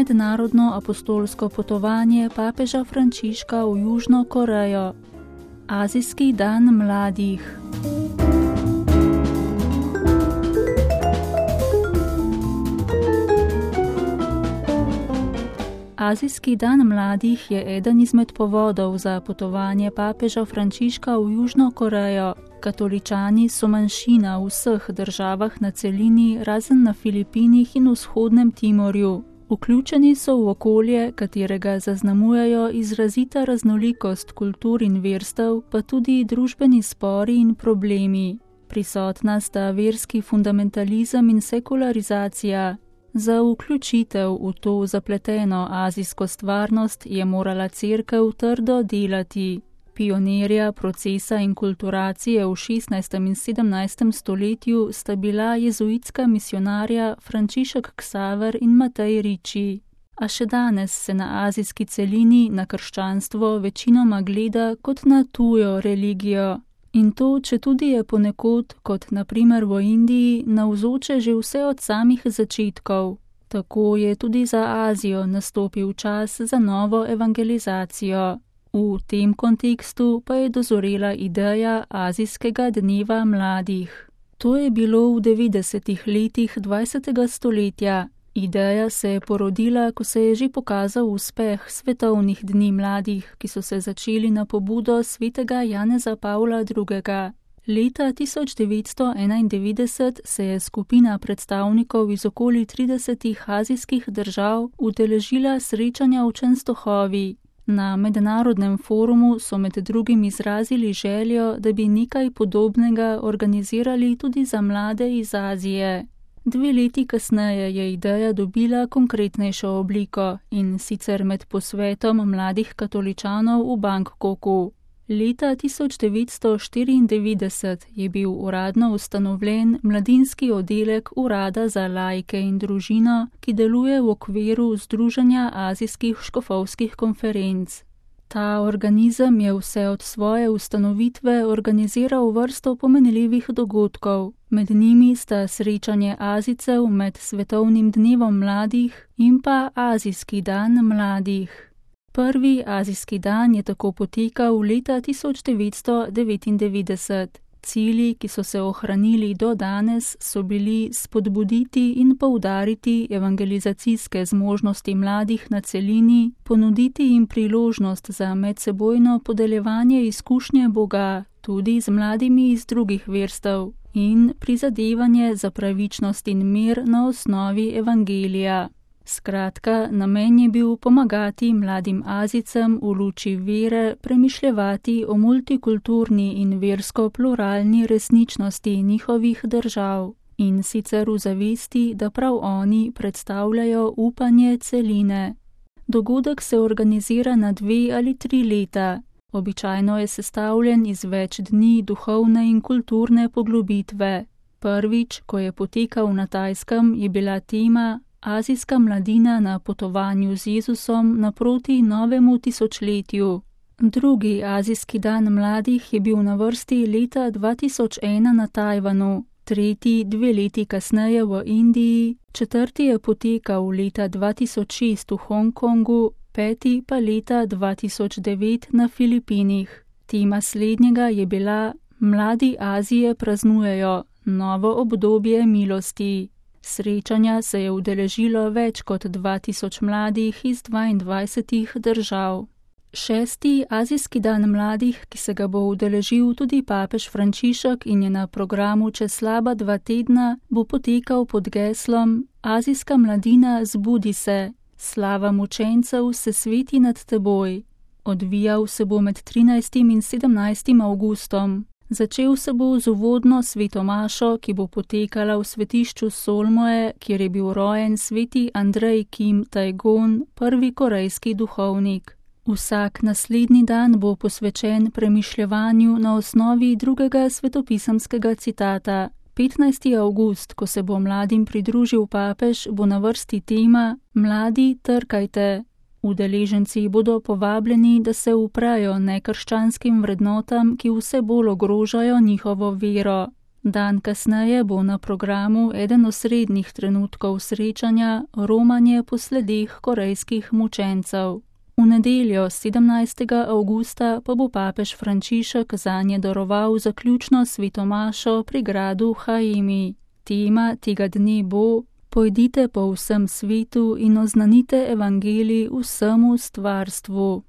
mednarodno apostolsko potovanje papeža Frančiška v Južno Korejo. Azijski dan mladih. Azijski dan mladih je eden izmed povodov za potovanje papeža Frančiška v Južno Korejo. Katoličani so manjšina v vseh državah na celini, razen na Filipinih in vzhodnem Timorju. Vključeni so v okolje, katerega zaznamujejo izrazita raznolikost kultur in verstev, pa tudi družbeni spori in problemi. Prisotna sta verski fundamentalizem in sekularizacija. Za vključitev v to zapleteno azijsko stvarnost je morala cerkev trdo delati. Pionirja procesa inkulturacije v 16. in 17. stoletju sta bila jezuitska misionarja Frančišek Ksaver in Matej Ricci. A še danes se na azijski celini na krščanstvo večinoma gleda kot na tujo religijo. In to, četudi je ponekod, kot na primer v Indiji, navzoče že vse od samih začetkov. Tako je tudi za Azijo nastopil čas za novo evangelizacijo. V tem kontekstu pa je dozorela ideja Azijskega dneva mladih. To je bilo v 90. letih 20. stoletja. Ideja se je porodila, ko se je že pokazal uspeh svetovnih dni mladih, ki so se začeli na pobudo svetega Janeza Pavla II. Leta 1991 se je skupina predstavnikov iz okoli 30 azijskih držav udeležila srečanja v Čenstohovi. Na mednarodnem forumu so med drugim izrazili željo, da bi nekaj podobnega organizirali tudi za mlade iz Azije. 2 leti kasneje je ideja dobila konkretnejšo obliko, in sicer med posvetom mladih katoličanov v Bangkoku. Leta 1994 je bil uradno ustanovljen mladinski oddelek Urada za laike in družino, ki deluje v okviru Združenja azijskih škofovskih konferenc. Ta organizem je vse od svoje ustanovitve organiziral vrsto pomenljivih dogodkov. Med njimi sta srečanje Azijcev med Svetovnim dnevom mladih in pa Azijski dan mladih. Prvi azijski dan je tako potekal leta 1999. Cilji, ki so se ohranili do danes, so bili spodbuditi in poudariti evangelizacijske zmožnosti mladih na celini, ponuditi jim priložnost za medsebojno podeljevanje izkušnje Boga, tudi z mladimi iz drugih verstev, in prizadevanje za pravičnost in mir na osnovi evangelija. Skratka, namen je bil pomagati mladim Azijcem v luči vere premišljevati o multikulturni in versko pluralni resničnosti njihovih držav, in sicer v zavesti, da prav oni predstavljajo upanje celine. Dogodek se organizira na 2 ali 3 leta. Običajno je sestavljen iz več dni duhovne in kulturne poglobitve. Prvič, ko je potekal na Tajskem, je bila tema Azijska mladina na potovanju z Jezusom naproti novemu tisočletju. Drugi azijski dan mladih je bil na vrsti leta 2001 na Tajvanu, tretji 2 leti kasneje v Indiji, četrti je potekal leta 2006 v Hongkongu, peti pa leta 2009 na Filipinih. Tema slednjega je bila Mladi Azije praznujejo novo obdobje milosti. Srečanja se je udeležilo več kot 2000 mladih iz 22 držav. 6. azijski dan mladih, ki se ga bo udeležil tudi papež Frančišek in je na programu čez slaba 2 tedna, bo potekal pod geslom Azijska mladina, zbudi se, slava mučencev se sveti nad teboj. Odvijal se bo med 13. in 17. avgustom. Začel se bo z uvodno sveto mašo, ki bo potekala v svetišču Solmoe, kjer je bil rojen sveti Andrej Kim Tajgon, prvi korejski duhovnik. Vsak naslednji dan bo posvečen premišljevanju na osnovi drugega svetopisemskega citata. 15. avgust, ko se bo mladim pridružil papež, bo na vrsti tema Mladi, trkajte. Udeleženci bodo povabljeni, da se uprejo nekrščanskim vrednotam, ki vse bolj ogrožajo njihovo vero. Dan kasneje bo na programu eden osrednjih trenutkov srečanja romanje po sledeh korejskih mučencev. V nedeljo 17. avgusta pa bo papež Frančišek zanje daroval zaključno svetomašo pri gradu Haimi. Tema tega dne bo: Pojdite po vsem svetu in oznanite evangelij vsemu stvarstvu.